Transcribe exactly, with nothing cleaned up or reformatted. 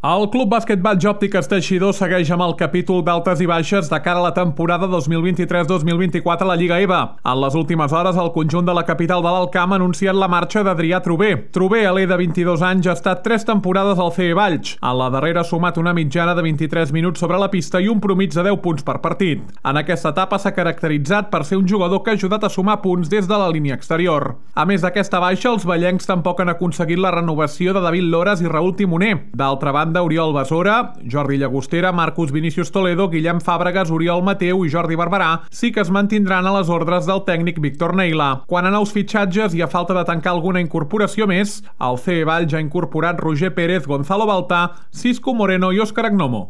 El Club Bàsquet Valls Òptiques Teixidor segueix amb el capítol d'altes i baixes de cara a la temporada dos mil vint-i-tres dos mil vint-i-quatre a la Lliga E V A. En les últimes hores, el conjunt de la capital de l'Alt Camp ha anunciat la marxa d'Adrià Trober. Trober, a l'E de vint-i-dos anys, ha estat tres temporades al C E Valls. En la darrera ha sumat una mitjana de vint-i-tres minuts sobre la pista i un promig de deu punts per partit. En aquesta etapa s'ha caracteritzat per ser un jugador que ha ajudat a sumar punts des de la línia exterior. A més d'aquesta baixa, els vallencs tampoc han aconseguit la renovació de David Loras i Raúl Timoner. D'altra banda, Oriol Besora, Jordi Llagostera, Marcus Vinícius Toledo, Guillem Fàbregas, Oriol Mateu i Jordi Barberà sí que es mantindran a les ordres del tècnic Víctor Neila. Quan a nous fitxatges i a falta de tancar alguna incorporació més, el C E Valls ha incorporat Roger Pérez, Gonzalo Baltà, Cisco Moreno i Òscar Agnomo.